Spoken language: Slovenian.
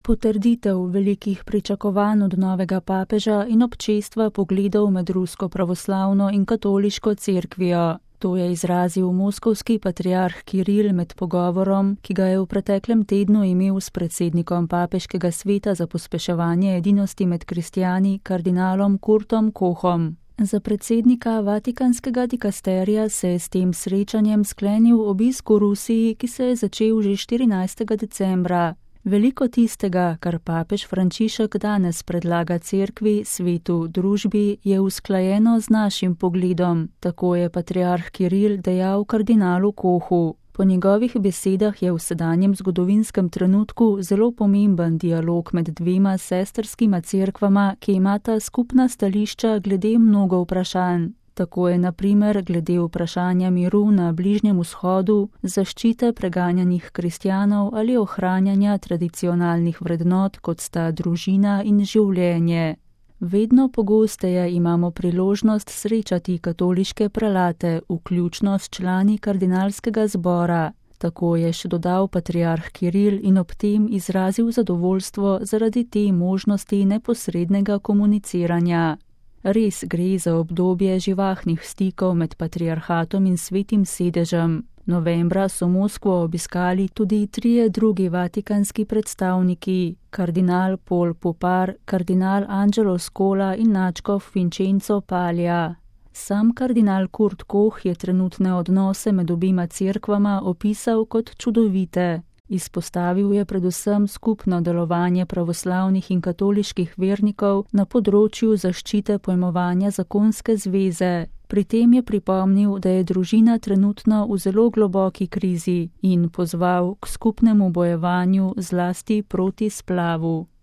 Potrditev velikih pričakovanj od novega papeža in občestva pogledov med rusko pravoslavno in katoliško cerkvijo. To je izrazil moskovski patriarh Kiril med pogovorom, ki ga je v preteklem tednu imel s predsednikom Papeškega sveta za pospeševanje edinosti med kristjani, kardinalom Kurtom Kohom. Za predsednika Vatikanskega dikasterija se je s tem srečanjem sklenil obisk v Rusiji, ki se je začel že 14. decembra. Veliko tistega, kar papež Frančišek danes predlaga cerkvi, svetu, družbi, je usklajeno z našim pogledom, tako je patriarh Kiril dejal kardinalu Kohu. Po njegovih besedah je v sedanjem zgodovinskem trenutku zelo pomemben dialog med dvema sestrskima cerkvama, ki imata skupna stališča glede mnogo vprašanj. Tako je na primer glede vprašanja miru na Bližnjem vzhodu, zaščite preganjanih kristjanov ali ohranjanja tradicionalnih vrednot, kot sta družina in življenje. Vedno pogosteje imamo priložnost srečati katoliške prelate, vključno s člani kardinalskega zbora. Tako je še dodal patriarh Kiril in ob tem izrazil zadovoljstvo zaradi te možnosti neposrednega komuniciranja. Res gre za obdobje živahnih stikov med patriarhatom in svetim sedežem. Novembra so Moskvo obiskali tudi 3 drugi vatikanski predstavniki, kardinal Paul Popar, kardinal Angelo Scola in nadškof Vincenzo Paglia. Sam kardinal Kurt Koh je trenutne odnose med obima cerkvama opisal kot čudovite. Izpostavil je predvsem skupno delovanje pravoslavnih in katoliških vernikov na področju zaščite pojmovanja zakonske zveze. Pri tem je pripomnil, da je družina trenutno v zelo globoki krizi in pozval k skupnemu bojevanju zlasti proti splavu.